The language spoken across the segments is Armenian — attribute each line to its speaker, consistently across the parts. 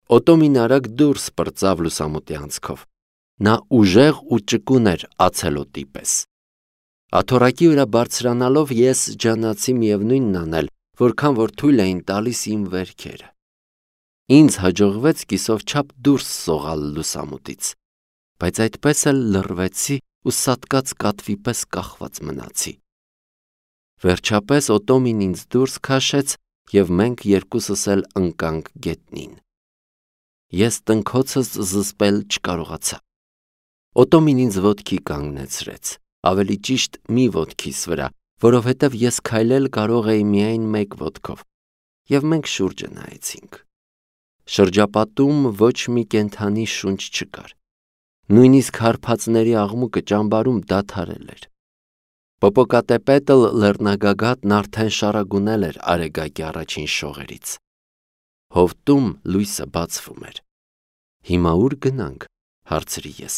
Speaker 1: Օտոմին արագ դուրս պրծավ լուսամուտի անցքով։ Նա ուժեղ ու ճկուն էր ացելոտի պես։ Աթոռակի վրա բարձրանալով ես ջանացի միևնույնն անել, որքան որ թույլ էին տալիս իմ վերքերը։ Ինձ հաջողվեց կիսով չափ դուրս սողալ լուսամուտից, բայց այդպես էլ լռվեցի ու սատկած կատվի պես կախված մնացի։ Վերջապես Օտոմին ինձ դուրս քաշեց և մենք երկուսս էլ ընկանք գետնին։ Ես տնքոցս զսպել չկարողացա։ Օտոմին ինձ ոտքի կանգնեցրեց, ավելի ճիշտ մի ոտքիս վրա, որովհետև ես քայլել կարող էի միայն մեկ ոտքով, և մենք շուրջը նայեցինք։ Շրջապատում ոչ մի կենդանի շունչ չկար։ Նույնիսկ հարբածների աղմուկը ճամբարում դադարել էր։ Պոպոկատեպետլ լեռնագագաթն արդեն շարագունել էր Արեգակի առաջին շողերից։ Հովտում լույսը բացվում էր։ Հիմա ուր գնանք, հարցրի ես։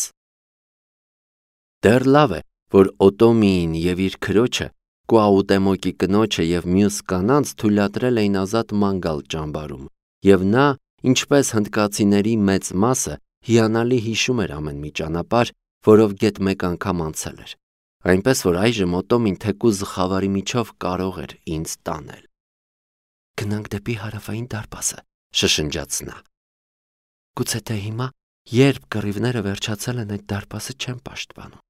Speaker 1: Դեռ լավ է, որ Օտոմիին և իր քրոջը, Կուաուտեմոկի կնոջը և մյուս կանանց թույլատրել էին ազատ ման գալ ճամբարում, և նա, ինչպես հնդկացիների մեծ մասը, հիանալի հիշում էր ամեն մի ճանապարհ, որով գեթ մեկ անգամ անցել էր, այնպես որ այժմ Օտոմին թեկուզ խավարի միջով կարող էր ինձ տանել։ Գնանք դեպի հարավային դարպասը, շշնջաց նա։ Գուցե թե հիմա, երբ կռիվները վերջացել են, այդ դարպասը չեմ պաշտպանում։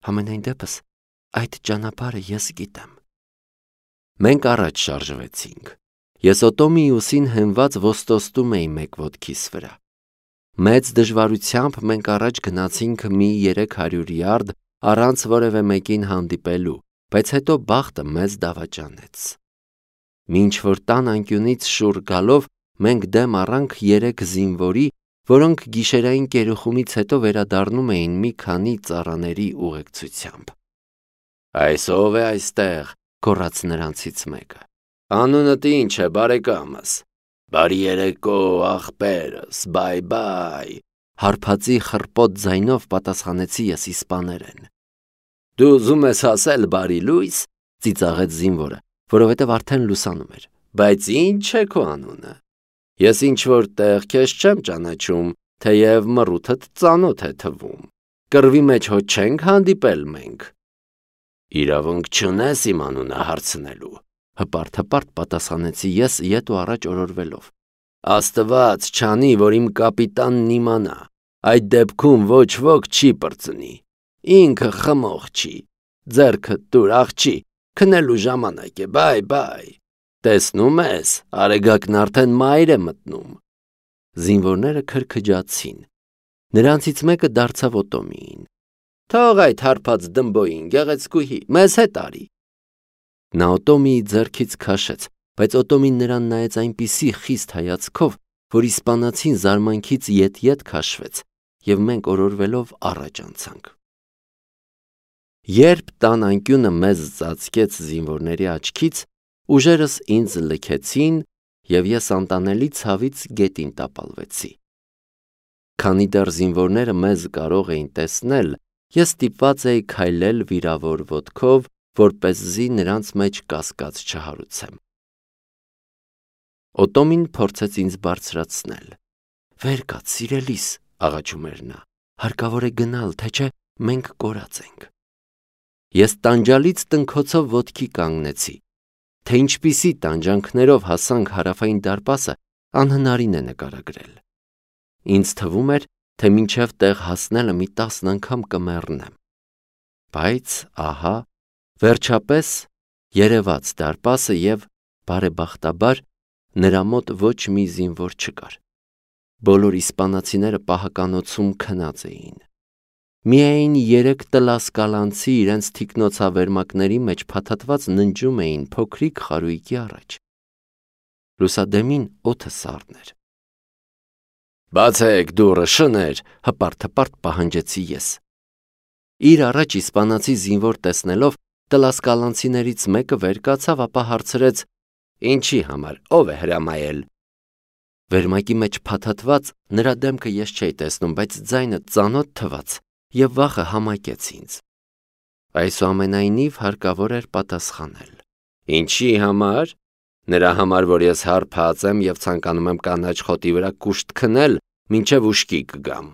Speaker 1: Համենայն դեպս, այդ ճանապարհը ես գիտեմ։ Մենք առաջ շարժվեցինք։ Ես Օտոմիի ուսին հենված ոստոստում էի մեկ ոտքիս վրա։ Մեծ դժվարությամբ մենք առաջ գնացինք մի 300 յարդ առանց որևէ մեկին հանդիպելու, բայց հետո բախտը մեզ դավաճանեց։ Մինչ որ տան անկյունից շուռ գալով մենք դեմ առանք 3 զինվորի, որոնք գիշերային կերուխումից հետո վերադառնում էին մի քանի ծառաների ուղեկցությամբ։ Այս ով է այստեղ, գոռաց նրանցից մեկը։ Անունդ ինչ է, բարեկամս։ Բարի երեկո, աղբերս, բայ, հարբածի խռպոտ ձայնով պատասխանեցի ես իսպաներեն։ Դու ուզում ես ասել բարի լույս, ծիծաղեց զինվորը, որովհետև արդեն լուսանում էր, բայց ինչ է քո անունը։ Ես ինչ-որ տեղ քեզ չեմ ճանաչում, թեև մռութդ ծանոթ է թվում։ Կռվի մեջ հո չենք հանդիպել մենք։ Իրավունք չունես իմ անունը հարցնելու, հպարտ պատասխանեցի ես ետ ու առաջ օրորվելով։ Աստված չանի, որ իմ կապիտանն իմանա, այդ դեպքում ոչ ոք չի պրծնի, ինքը խմող չի, ձեռքդ տուր աղջի, քնելու ժամանակ է, բայ, տեսնում ես, Արեգակն արդեն մայր է մտնում։ Զինվորները քրքջացին, նրանցից մեկը դարձավ Օտոմիին։ Թող այդ հարբած դմբոյին, գեղեցկուհի, մեզ հետ արի։ Նա Օտոմիի ձեռքից քաշեց, բայց Օտոմին նրան նայեց այնպիսի խիստ հայացքով, որ իսպանացին զարմանքից ետ քաշվեց, և մենք օրորվելով առաջ անցանք։ Երբ տան անկյունը մեզ ծածկեց զինվորների աչքից, ուժերս ինձ լքեցին, և ես անտանելի ցավից գետին տապալվեցի։ Քանի դեռ զինվորները մեզ կարող էին տեսնել, ես ստիպված էի քայլել վիրավոր ոտքով, որպեսզի նրանց մեջ կասկած չհարուցեմ։ Օտոմին փորձեց ինձ բարձրացնել։ Վեր կաց, սիրելիս, աղաչում էր նա, հարկավոր է գնալ, թե չէ մենք կորած ենք։ Ես տանջալից տնքոցով ոտքի կանգնեցի, թե ինչպիսի տանջանքներով հասանք հարավային դարպասը, անհնարին է նկարագրել։ Ինձ թվում էր, թե մինչև տեղ հասնելը մի 10 անգամ կմեռնեմ։ Բայց ահա, վերջապես երևաց դարպասը և, բարեբախտաբար, նրա մոտ ոչ մի զինվոր չկար։ Բոլոր իսպանացիները պահականոցում քնած էին։ Միայն 3 տլասկալանցի իրենց թիկնոցավերմակների մեջ փաթաթված ննջում էին փոքրիկ խարույկի առաջ։ Լուսադեմին օդը սառն էր։ Բացեք դուռը, շներ, հպարտ պահանջեցի ես։ Իր առաջ իսպանացի զինվոր տեսնելով, տլասկալանցիներից մեկը վեր կացավ, ապա հարցրեց. Ինչի համար, ով է հրամայել։ Վերմակի մեջ փաթաթված նրա դեմքը ես չէի տեսնում, բայց ձայնը ծանոթ թվաց և վախը համակեց ինձ։ Այսուամենայնիվ հարկավոր էր պատասխանել։ Ինչի համար։ Նրա համար, որ ես հարբած եմ եւ ցանկանում եմ կանաչ խոտի վրա կուշտ քնել, մինչև ուշքի կգամ։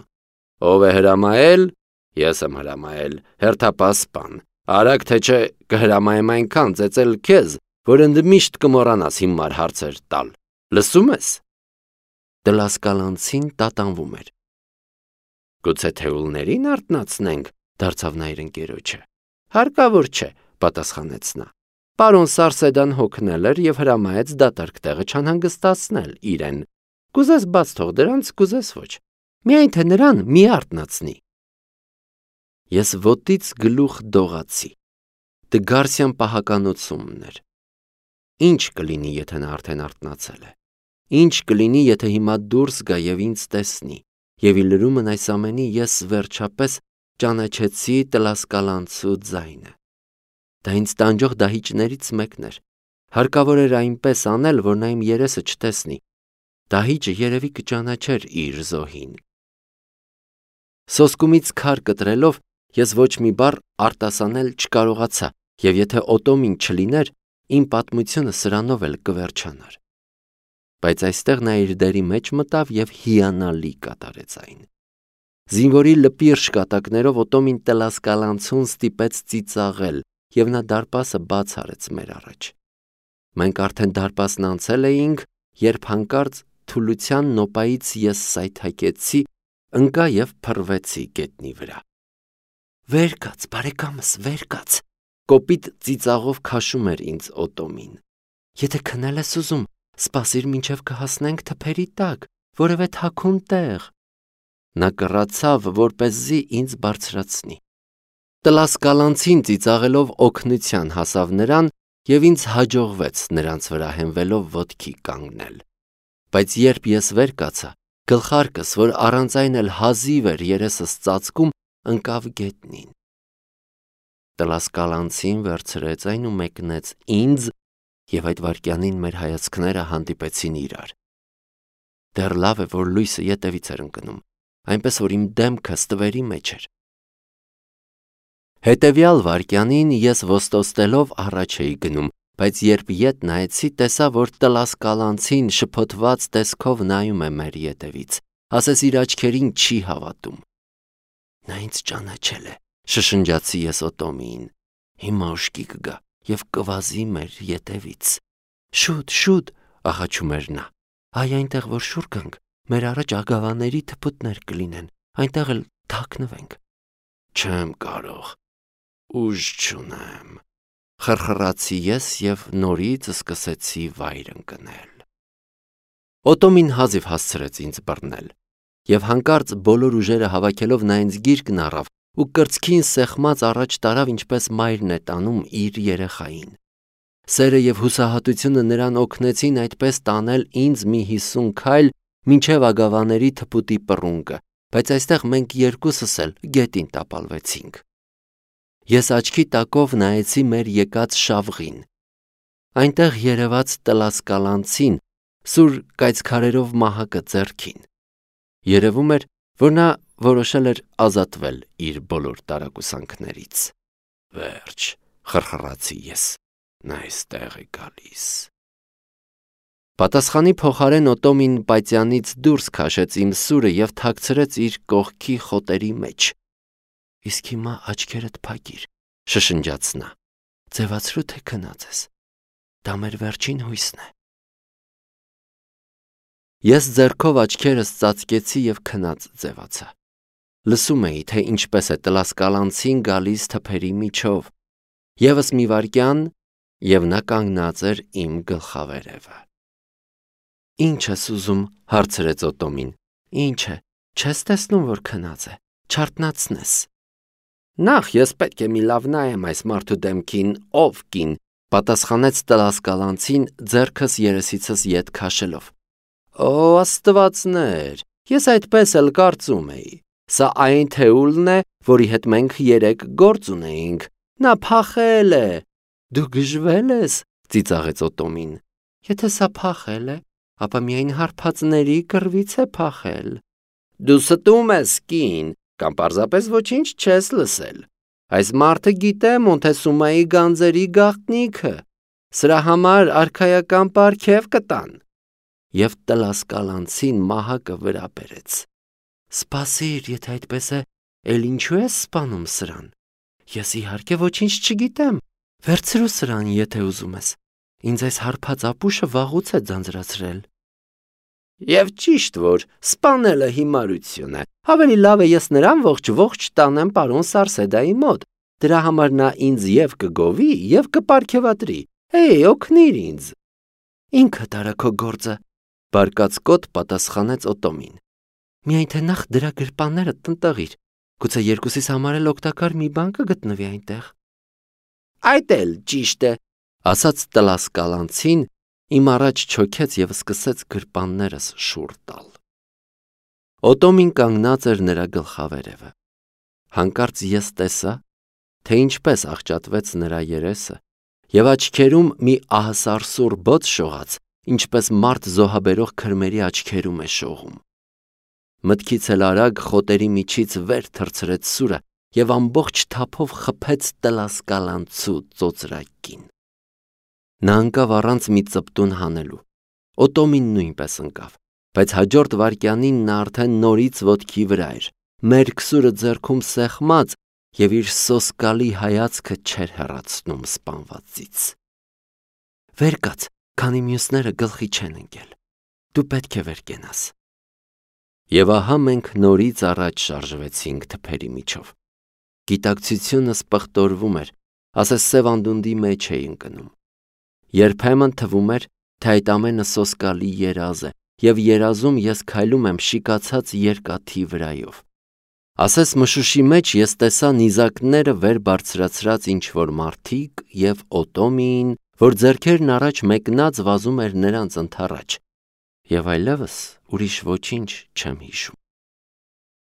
Speaker 1: Ով է հրամայել։ Ես եմ հրամայել, հերթապասպան։ Արագ թե չէ կհրամայեմ այնքան ծեծել քեզ, որ ընդմիշտ կմոռանաս հիմար հարցեր տալ։ Լսում ես։ Դլասկալանցին տատանվում էր։ Գուցե թեուլներին արթնացնենք, դարձավ նա իր ընկերոջը։ Հարկավոր չէ, պատասխանեց նա։ Պարոն Սարսեդան հոգնել էր եւ հրամայեց դատարկ տեղը չանհանգստացնել իրեն։ Կուզես բաց թող դրանց, կուզես ոչ։ Միայն թե նրան մի արթնացնի։ Ես ոտից գլուխ դողացի։ Դգարսյան պահականությունն էր։ Ինչ կլինի, եթե նա արդեն արթնացել է։ Ինչ կլինի, եթե հիմա դուրս գա եւ ինձ տեսնի։ Եվ ի լրումն այս ամենի ես վերջապես ճանաչեցի Տլասկալանցու ձայնը։ Դա ինձ տանջող դահիճներից մեկն էր։ Հարկավոր էր այնպես անել, որ նա իմ երեսը չտեսնի։ Դահիճը երևի կճանաչեր իր զոհին։ Սոսկումից քար կտրելով ես ոչ մի բառ արտասանել չկարողացա, եւ եթե Օտոմին չլիներ, իմ պատմությունը սրանով էլ կվերջանար։ Բայց այստեղ նա իր դերի մեջ մտավ եւ հիանալի կատարեց այն։ Զինվորի լպիրշ կատակներով Օտոմին Տլասկալանցուն ստիպեց ծիծաղել, եւ նա դարպասը բաց արեց մեր առաջ։ Մենք արդեն դարպասն անցել էինք, երբ հանկարծ թուլության նոպայից ես սայթաքեցի, ընկա եւ փռվեցի գետնի վրա։ Վեր կաց, բարեկամս, վեր կաց, կոպիտ ծիծաղով քաշում էր ինձ Օտոմին։ Եթե քնել ես ուզում, սպասիր մինչև կհասնենք թփերի տակ, որևէ թաքուն տեղ։ Նա կռացավ, որպեսզի ինձ բարձրացնի։ Տլասկալանցին ծիծաղելով օգնության հասավ նրան եւ ինձ հաջողվեց նրանց վրա հենվելով ոտքի կանգնել։ Բայց երբ ես վեր կացա, գլխարկս, որ առանց այն էլ հազիվ էր երեսս ծածկում, ընկավ գետնին։ Տլասկալանցին վերցրեց այն ու մեկնեց ինձ, եւ այդ վայրկյանին մեր հայացքները հանդիպեցին իրար։ Դեռ լավ է, որ լույսը ետևից էր ընկնում, այնպես որ իմ դեմքը ստվերի մեջ էր։ Հետևյալ վայրկյանին ես ոստոստելով առաջ էի գնում, բայց երբ ետ նայեցի, տեսա, որ Տլասկալանցին շփոթված տեսքով նայում է մեր ետևից, ասես իր աչքերին չի հավատում։ Նա ինձ ճանաչել է, շշնջացի ես Օտոմիին։ Հիմա ուշքի կգա եւ կվազի մեր ետևից։ Շուտ, աղաչում էր նա։ Այ այնտեղ որ շուռ գանք, մեր առաջ ագավաների թփուտներ կլինեն, այնտեղ էլ թաքնվենք։ Չեմ կարող, ուժ չունեմ, խրխրացի ես եւ նորից սկսեցի վայր ընկնել։ Օտոմին հազիվ հասցրեց ինձ բռնել, եւ հանկարծ բոլոր ուժերը հավաքելով նա ինձ գիրկն առավ ու կրծքին սեղմած առաջ տարավ, ինչպես մայրն է տանում իր երեխային։ Սերը եւ հուսահատությունը նրան օգնեցին այդպես տանել ինձ մի 50 քայլ մինչև ագավաների թփուտի պռունգը, բայց այստեղ մենք երկուսս էլ գետին տապալվեցինք։ Ես աչքի տակով նայեցի մեր եկած շավղին։ Այնտեղ երևաց Տլասկալանցին, սուր կայծքարերով մահակը ձեռքին։ Երևում էր, որ նա որոշել էր ազատվել իր բոլոր տարակուսանքներից։ Վերջ, խրխրացի ես, նա այստեղ է գալիս։ Պատասխանի փոխարեն Օտոմին պայծյանից դուրս քաշեց իմ սուրը եւ թաքցրեց իր կողքի խոտերի մեջ։ Իսկ հիմա աչքերդ փակիր, շշնջաց նա։ Ձևացրու թե քնած ես։ Դա մեր վերջին հույսն է։ Ես ձեռքով աչքերս ծածկեցի եւ քնած ձևացա։ Լսում էի, թե ինչպես է Տլասկալանցին գալիս թփերի միջով։ Եվս մի վայրկյան, եւ նա կանգնած էր իմ գլխավերևը։ Ինչ ես ուզում, հարցրեց Օտոմին։ Ինչ է, չես տեսնում, որ քնած է, չարթնացնես։ Նախ ես պետք է մի լավ նայեմ այս մարդու դեմքին, ով կին, պատասխանեց Տլասկալանցին ձեռքս երեսիցս ետ քաշելով։ Օ, աստվածներ, ես այդպես էլ կարծում էի։ Սա այն թեուլն է, որի հետ մենք երեք գործ ունեինք։ Նա փախել է։ Դու գժվել ես, ծիծաղեց Օտոմին։ Եթե սա փախել է, ապա միայն հարբածների կռվից է փախել։ Դու ստում ես, կին, կամ պարզապես ոչինչ չես լսել։ Այս մարդը գիտե Մոնտեսումայի գանձերի գաղտնիքը։ սրա համար արքայական պարգև կտան։ Եվ տլասկալանցին մահակը վրա բերեց։ Սպասիր, եթե այդպես է, էլ ինչու ես սպանում սրան։ Ես իհարկե ոչինչ չգիտեմ, վերցրու սրան, եթե ուզում ես։ Ինձ այս հարբած ապուշը վաղուց է ձանձրացրել։ Եվ ճիշտ որ սպանելը հիմարություն է, ավելի լավ է ես նրան ողջ տանեմ պարոն Սարսեդայի մոտ, դրա համար նա ինձ և կգովի և կպարգևատրի, օգնիր ինձ։ Ինքդ արա քո գործը, բարկացկոտ պատասխանեց Օտոմին։ Միայն թե նախ դրա գրպանները տնտղիր, գուցե երկուսիս համար էլ օգտակար մի բան կգտնվի այնտեղ։ Այդ էլ ճիշտ է, ասաց տլասկալանցին, իմ առաջ չոքեց և սկսեց գրպաններս շուռ տալ։ Օտոմին կանգնած էր նրա գլխավերևը։ Հանկարծ ես տեսա, թե ինչպես աղճատվեց նրա երեսը, և աչքերում մի ահասարսուռ բոց շողաց, ինչպես մարդ զոհաբերող քրմերի աչքերում է շողում։ Մտքից էլ արագ խոտերի միջից վեր թռցրեց սուրը և ամբողջ թափով խփեց տլասկալանցու ծոծրակին։ Նա ընկավ առանց մի ծպտուն հանելու։ Օտոմին նույնպես ընկավ, բայց հաջորդ վայրկյանին նա արդեն նորից ոտքի վրա էր, մերկ սուրը ձեռքում սեղմած և իր սոսկալի հայացքը չէր հեռացնում սպանվածից։ Վեր կաց, քանի մյուսները գլխի չեն ընկել։ Դու պետք է վեր կենաս։ Եվ ահա մենք նորից առաջ շարժվեցինք թփերի միջով։ Գիտակցությունս պղտորվում էր, ասես սև անդունդի մեջ էի ընկնում։ Երբեմն թվում էր, թե այդ ամենը սոսկալի երազ է, և երազում ես քայլում եմ շիկացած երկաթի վրայով։ Ասես մշուշի մեջ ես տեսա նիզակները վեր բարձրացրած ինչ-որ մարդիկ և Օտոմիին, որ ձեռքերն առաջ մեկնած վազում էր նրանց ընդառաջ, և այլևս ուրիշ ոչինչ չեմ հիշում։